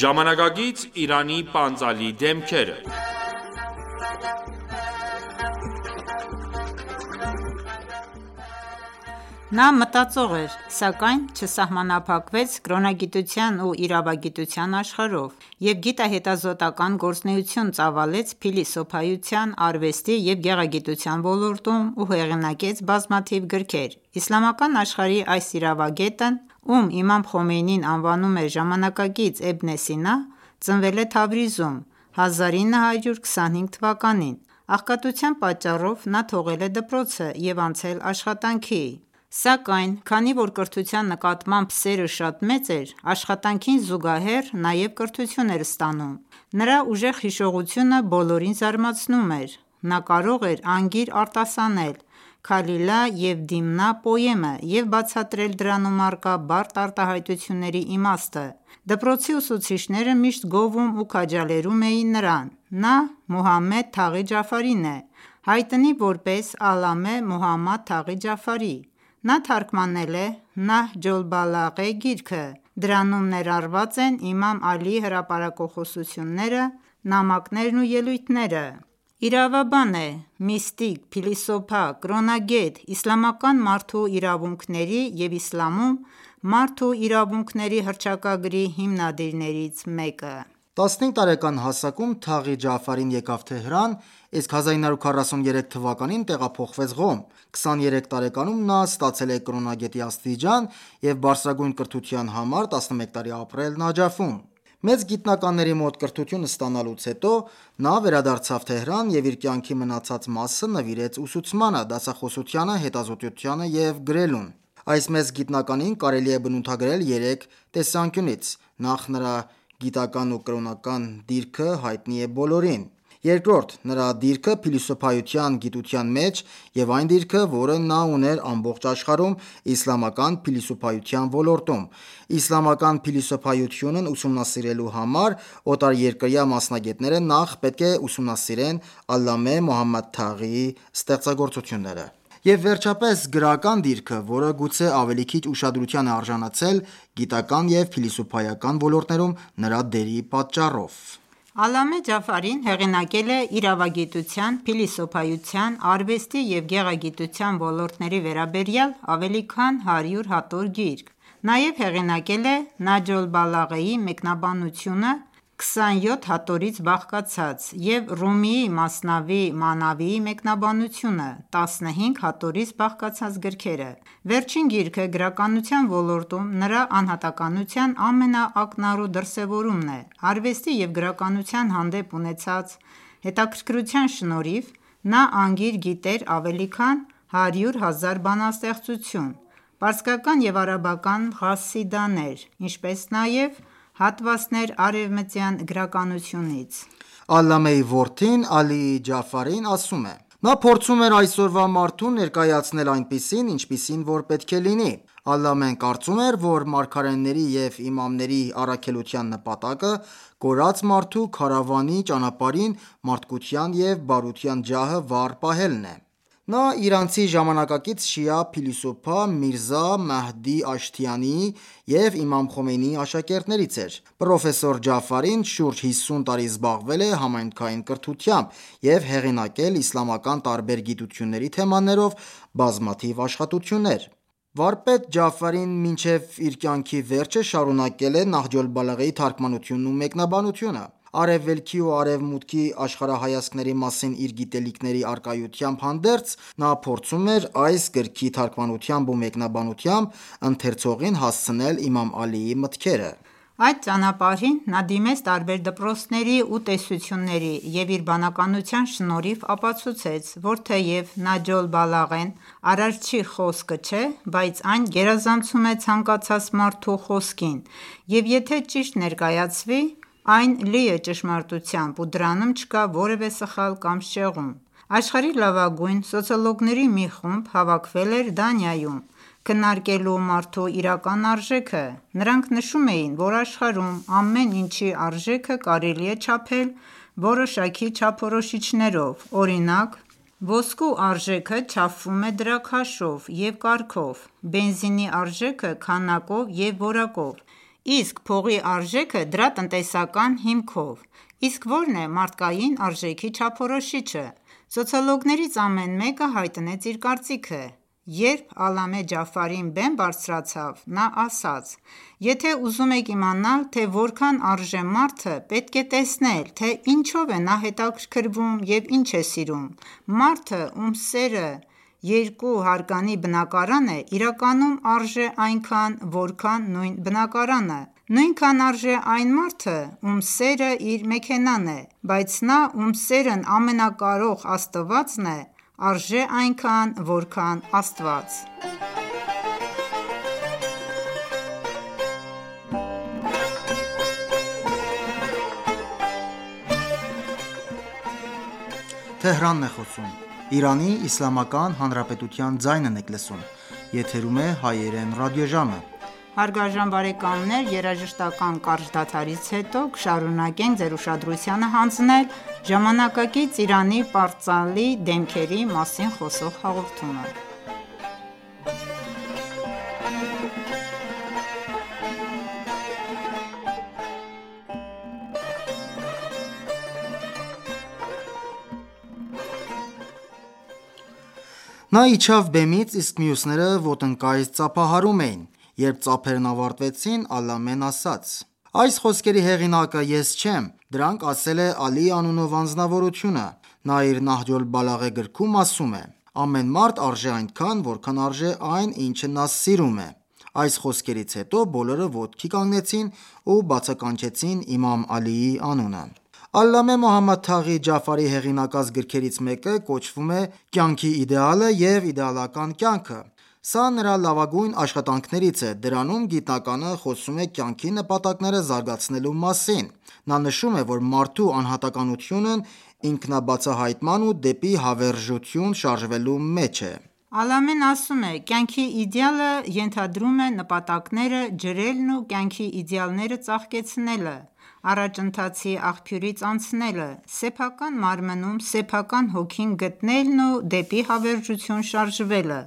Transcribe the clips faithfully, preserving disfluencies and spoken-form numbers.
Ժամանակակից Իրանի պանծալի դեմքերը Նա մտածող էր, սակայն չսահմանափակվեց կրոնագիտության ու իրավագիտության աշխարհով և գիտահետազոտական գործունեություն ծավալեց փիլիսոփայության, արվեստի և գեղագիտության ոլորտում ու հեղինակեց բազմաթիվ գրքեր: Իսլամական աշխարհի այս իրավագետն, ում Իմամ Խոմեյնին անվանում էր ժամանակակից Իբն Սինա, ծնվել է Թավրիզում հազար ինը հարյուր քսանհինգ թվականին: Աղքատության պատճառով նա թողել է դպրոցը և անցել աշխատանքի: Սակայն քանի որ կրթության նկատմամբ սերը շատ մեծ էր, աշխատանքին զուգահեռ նաև կրթություն էր ստանում: Նրա ուժեղ հիշողությունը բոլորին զարմացնում էր: Նա կարող էր անգիր արտասանել «Քալիլա և Դիմնա» պոեմը և բացատրել դրանում առկա բարդ արտահայտությունների իմաստը: Դպրոցի ուսուցիչները միշտ գովում ու քաջալերում էին նրան: Նա Մուհամմեդ Թաղի Ջաֆարին է, հայտնի որպես Ալամե Մոհամմադ Թաղի Ջաֆարի: Նա թարգմանել է «Նահջ ալ-Բալաղե» գիրքը: Դրանում ներառված են իմամ Ալիի հրապարակախոսությունները, նամակներն ու ելույթները: Իրավաբան է, միստիկ, փիլիսոփա, կրոնագետ, իսլամական մարդու իրավունքների և իսլամում մարդու իրավունքների հռչակագրի հիմնադիրներից մեկը: տասնհինգ տարեկան հասակում Թաղի Ջաֆարին եկավ Թեհրան, իսկ հազար ինը հարյուր քառասուներեք թվականին տեղափոխվեց Ղոմ: քսաներեք տարեկանում նա ստացել է կրոնագետի աստիճան և բարձրագույն կրթության համար տասնմեկ տարի ապրել Նաջաֆում: Մեծ գիտնականների մոտ կրթություն ստանալուց հետո նա վերադարձավ Թեհրան և իր կյանքի մնացած մասը նվիրեց ուսուցմանը, դասախոսությանը, հետազոտությանը և գրելուն: Այս մեծ գիտնականին կարելի է բնութագրել երեք տեսանկյունից: Նախ նրա գիտական ու կրոնական դիրքը հայտնի է բոլորին: Երկրորդ նրա դիրքը փիլիսոփայության գիտության մեջ և այն դիրքը, որը նա ուներ ամբողջ աշխարհում իսլամական փիլիսոփայության ոլորտում: Իսլամական փիլիսոփայությունն ուսումնասիրելու համար օտարերկրյա մասնագետները նախ պետք է ուսումնասիրեն Ալամե Մոհամմադ Թաղիի ստեղծագործությունները: Եվ վերջապես գրական դիրքը, որը գուցե ավելի քիչ ուշադրության է արժանացել գիտական և փիլիսոփայական ոլորտներում նրա դերի պատճառով: Ալամե Ջաֆարին հեղինակել է իրավագիտության, փիլիսոփայության, արվեստի և գեղագիտության ոլորտների վերաբերյալ ավելի քան հարյուր հատոր գիրք: Նաև հեղինակել է «Նահջ ալ-Բալաղեի» մեկնաբանությունը քսանյոթ հատորից բաղկացած և Ռումիի «Մասնավի Մանավի»-ի մեկնաբանությունը տասնհինգ հատորից բաղկացած գրքերը: Վերջին գիրքը գրականության ոլորտում նրա անհատականության ամենաակնառու դրսևորումն է: Արվեստի և գրականության հանդեպ ունեցած հետաքրքրության շնորհիվ նա անգիր գիտեր ավելի քան հարյուր հազար բանաստեղծություն, պարսկական և արաբական ղասիդաներ, ինչպես նաև հատվաներ արևմտյան գրականությունից: Ալամեի որդին Ալի Ջաֆարին ասում է. «Նա փորձում էր այսօրվա մարդուն ներկայացնել այնպիսին, ինչպիսին որ պետք է լինի: Ալամեն կարծում էր, որ մարգարեների և իմամների առաքելության նպատակը կորած մարդու քարավանի ճանապարհին մարդկության և բարության ջահը վառ պահելն է: Նա իրանցի ժամանակակից շիա փիլիսոփա Միրզա Մեհդի Աշթիանիի և իմամ Խոմեյնիի աշակերտներից էր: Պրոֆեսոր Ջաֆարին շուրջ հիսուն տարի զբաղվել է համայնքային կրթությամբ և հեղինակել իսլամական տարբեր գիտությունների թեմաներով բազմաթիվ աշխատություններ: Վարպետ Ջաֆարին մինչև իր կյանքի վերջը շարունակել է Նահջ ալ-Բալաղեի թարգմանությունն ու մեկնաբանությունը: Արևելքի ու արևմուտքի աշխարհայացքների մասին իր գիտելիքների առկայությամբ հանդերձ, նա փորձում էր այս գրքի թարգմանությամբ ու մեկնաբանությամբ ընթերցողին հասցնել իմամ Ալիի մտքերը: Այդ ճանապարհին նա դիմեց տարբեր դպրոցների ու տեսությունների և իր բանականության շնորհիվ ապացուցեց, որ թեև Նահջ ալ-Բալաղեն Արարչի խոսքը չէ, բայց այն գերազանցում է ցանկացած մարդու խոսքին և եթե ճիշտ ներկայացվի, այն լի է ճշմարտությամբ ու դրանում չկա որևէ սխալ կամ շեղում: Աշխարհի լավագույն սոցիոլոգների մի խումբ հավաքվել էր Դանիայում քննարկելու մարդու իրական արժեքը: Նրանք նշում էին, որ աշխարհում ամեն ինչի արժեքը կարելի է չափել որոշակի չափորոշիչներով: Օրինակ, Ոսկու արժեքը չափվում է դրա քաշով և կարգով, բենզինի արժեքը քանակով և որակով, իսկ փողի արժեքը դրա տնտեսական հիմքով: Իսկ ո՞րն է մարդկային արժեքի չափորոշիչը: Սոցիոլոգներից ամեն մեկը հայտնեց իր կարծիքը: Երբ Ալամե Ջաֆարին բեմ բարձրացավ, նա ասաց. «Եթե ուզում եք իմանալ, թե որքան արժե մարդը, պետք է տեսնել, թե ինչով է նա հետաքրքրվում և ինչ է սիրում: Մարդը, ում սերը երկու հարկանի բնակարան է, իրականում արժե այնքան, որքան նույն բնակարանը: Նույնքան արժե այն մարդը, ում սերը իր մեքենան է: Բայց նա, ում սերն ամենակարող Աստվածն է, արժե այնքան, որքան Աստված»: Նա իջավ բեմից, իսկ մյուսները ոտնկայից ծափահարում էին: Երբ ծափերն ավարտվեցին, Ալամեն ասաց. «Այս խոսքերի հեղինակը ես չեմ: Դրանք ասել է Ալի անունով անձնավորությունը: Նա իր Նահջ օլ-Բալաղե գրքում ասում է. «Ամեն մարդ արժե այնքան, որքան արժե այն, ինչը նա սիրում է»: Այս խոսքերից հետո բոլորը ոտքի կանգնեցին ու բացականչեցին իմամ Ալիի անունը: Ալլամե Մոհամմադ Թաղի Ջաֆարի հեղինակած գրքերից մեկը կոչվում է «Կյանքի իդեալը և իդեալական կյանքը»: Սա նրա լավագույն աշխատանքներից է: Դրանում գիտնականը խոսում է կյանքի նպատակները զարգացնելու մասին: Նա նշում է, որ մարդու անհատականությունն ինքնաբացահայտման ու դեպի հավերժություն շարժվելու մեջ է: Ալամեն ասում է. «Կյանքի իդեալը ենթադրում է նպատակները ջրելն ու կյանքի իդեալները ծաղկեցնելը, առաջընթացի աղբյուրից անցնելը, սեփական մարմնում սեփական հոգին գտնելն ու դեպի հավերժություն շարժվելը: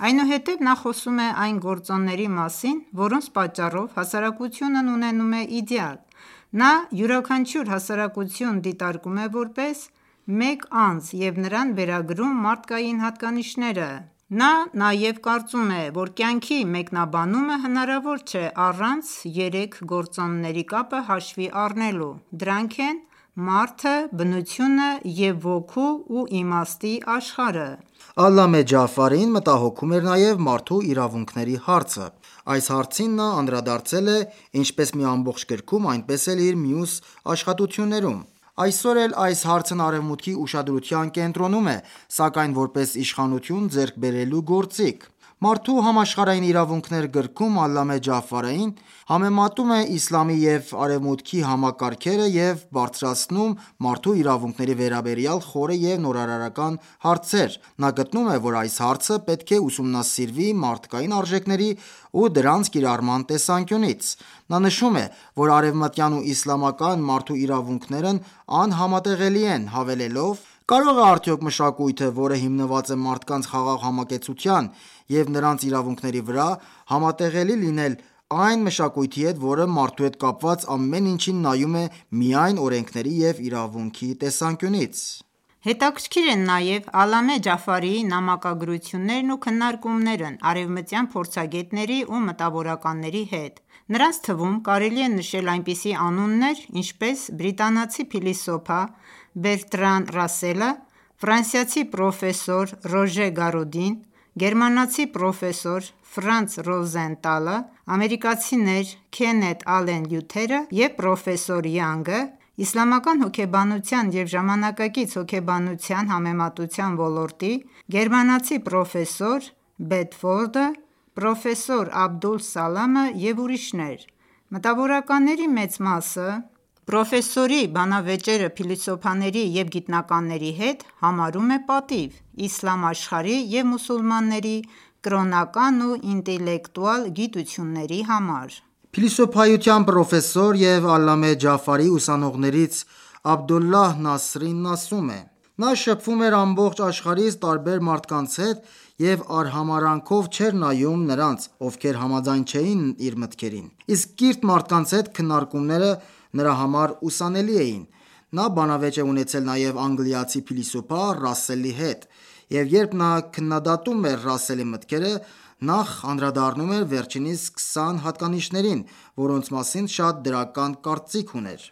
Այնուհետև նա խոսում է այն գործոնների մասին, որոնց պատճառով հասարակությունն ունենում է իդեալ: Նա յուրաքանչյուր հասարակություն դիտարկում է որպես մեկ անձ և նրան վերագրում մարդկային հատկանիշները: Նա նաև կարծում է, որ կյանքի մեկնաբանումը հնարավոր չէ առանց երեք գործոնների կապը հաշվի առնելու: Դրանք են մարդը, բնությունը և ոգու ու իմաստի աշխարհը: Ալլամե Ջաֆարին մտահոգում էր նաև մարդու իրավունքների հարցը: Այս հարցին նա անդրադարձել է ինչպես մի ամբողջ գրքում, այնպես էլ իր մյուս աշխատություններում: Այսօր էլ այս հարցն արևմուտքի ուշադրության կենտրոնում է, սակայն որպես իշխանություն ձեռք բերելու գործիք: «Մարդու համաշխարհային իրավունքներ» գրքում Ալլամե Ջաֆարին համեմատում է իսլամի և արևմուտքի համակարգերը և բարձրացնում մարդու իրավունքների վերաբերյալ խորը և նորարարական հարցեր: Նա գտնում է, որ այս հարցը պետք է ուսումնասիրվի մարդկային արժեքների ու դրանց կիրառման տեսանկյունից: Նա նշում է, որ արևմտյան ու իսլամական մարդու իրավունքներն անհամատեղելի են, հավելելով. «Կարո՞ղ է արդյոք մշակույթը, որը հիմնված է մարդկանց խաղաղ համակեցության և նրանց իրավունքների վրա, համատեղելի լինել այն մշակույթի հետ, որը մարդու հետ կապված ամեն ինչին նայում է միայն օրենքների և իրավունքի տեսանկյունից»: Հետաքրքիր են նաև Ալամե Ջաֆարիի նամակագրություններն ու քննարկումներն արևմտյան փորձագետների ու մտավորականների հետ: Նրանց թվում կարելի է նշել այնպիսի անուններ, ինչպես բրիտանացի փիլիսոփա Բերտրան Ռասելը, ֆրանսիացի պրոֆեսոր Ռոժե Գարոդին, գերմանացի պրոֆեսոր Ֆրանց Ռոզենտալը, ամերիկացիներ Քենեթ Ալեն Լյութերը և պրոֆեսոր Յանգը, իսլամական հոգեբանության և ժամանակակից հոգեբանության համեմատության ոլորտի գերմանացի պրոֆեսոր Բեդֆորդը, պրոֆեսոր Աբդուլ Սալամը և ուրիշներ: Մտավորականների մեծ մասը պրոֆեսորի բանավեճերը փիլիսոփաների և գիտնականների հետ համարում է պատիվ իսլամ աշխարհի և մուսուլմանների կրոնական ու ինտելեկտուալ գիտությունների համար: Փիլիսոփայության պրոֆեսոր և Ալլամե Ջաֆարիի ուսանողներից Աբդոլլահ Նասրին ասում է. Նա շփվում էր ամբողջ աշխարհից տարբեր մարդկանց հետ և արհամարհանքով չէր նայում նրանց, ովքեր համաձայն չէին իր մտքերին: Իսկ կիրթ մարդկանց հետ քննարկումները նրա համար ուսանելի էին: Նա բանավեճ է ունեցել նաև անգլիացի փիլիսոփա Ռասսելի հետ, և երբ նա քննադատում էր Ռասսելի մտքերը, նախ անդրադառնում էր վերջինիս քսան հատկանիշներին, որոնց մասին շատ դրական կարծիք ուներ: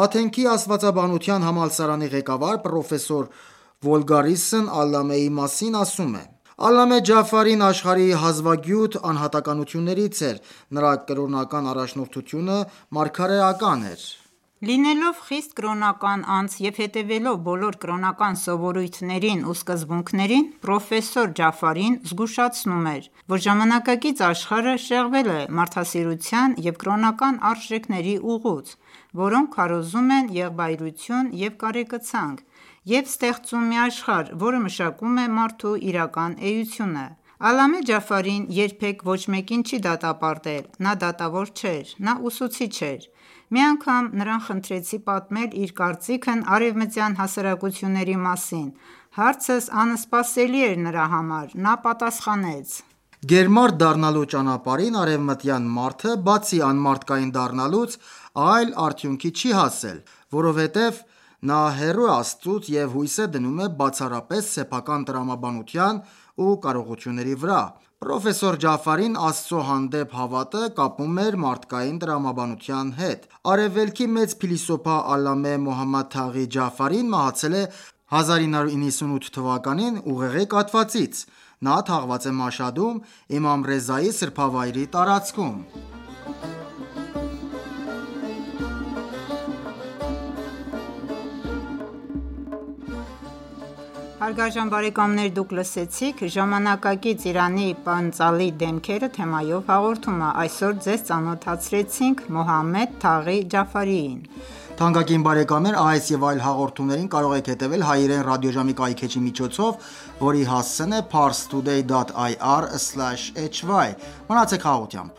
Աթենքի աստվածաբանության համալսարանի ղեկավար պրոֆեսոր Վոլգարիսն Ալլամեի մասին ասում է. «Ալլամե Ջաֆարին աշխարհի հազվագյուտ անհատականություններից էր: Նրա կրոնական առաջնորդությունը մարգարեական էր: Լինելով խիստ կրոնական անձ և հետևելով բոլոր կրոնական սովորույթներին ու սկզբունքներին, պրոֆեսոր Ջաֆարին զգուշացնում էր, որ ժամանակակից աշխարհը շեղվել է մարդասիրության և կրոնական արժեքների ուղուց, որոնք քարոզում են եղբայրություն և կարեկցանք, և ստեղծում մի աշխարհ, որը մշակում է մարդու իրական էությունը: Ալլամե Ջաֆարին երբեք ոչ մեկին չի դատապարտել: Նա դատավոր չէր: Նա ուսուցիչ էր: Մի անգամ նրան խնդրեցի պատմել իր կարծիքն արևմտյան հասարակությունների մասին: Հարցս անսպասելի էր նրա համար: Նա պատասխանեց. «Գերմարդ դառնալու ճանապարհին արևմտյան մարդը, բացի անմարդկային դառնալուց, այլ արդյունքի չի հասել, որովհետև նա հեռու է Աստծուց և հույս է դնում է բացառապես սեփական տրամաբանության ու կարողությունների վրա: Պրոֆեսոր Ջաֆարին Աստծո հանդեպ հավատը կապում էր մարդկային տրամաբանության հետ: Արևելքի մեծ փիլիսոփա Ալլամե Մոհամմադ Թաղի Ջաֆարին մահացել է հազար ինը հարյուր իննսունութ թվականին ուղեղի կաթվածից: Նա թաղված է Մաշհադում, Իմամ Ռեզայի սրբավայրի տարածքում»: «Ժամանակակից Իրանի պանծալի դեմքերը» թեմայով հաղորդումը: Այսօր Ձեզ ծանոթացրեցինք Մոհամմեդ Թաղի Ջաֆարիին: Թանկագին բարեկամներ այս և այլ հաղորդումներին կարող եք հետևել հայերեն ռադիոժամի կայքէջի միջոցով, որի հասցեն է parstoday dot ir slash hy: Մնացեք խաղաղությամբ: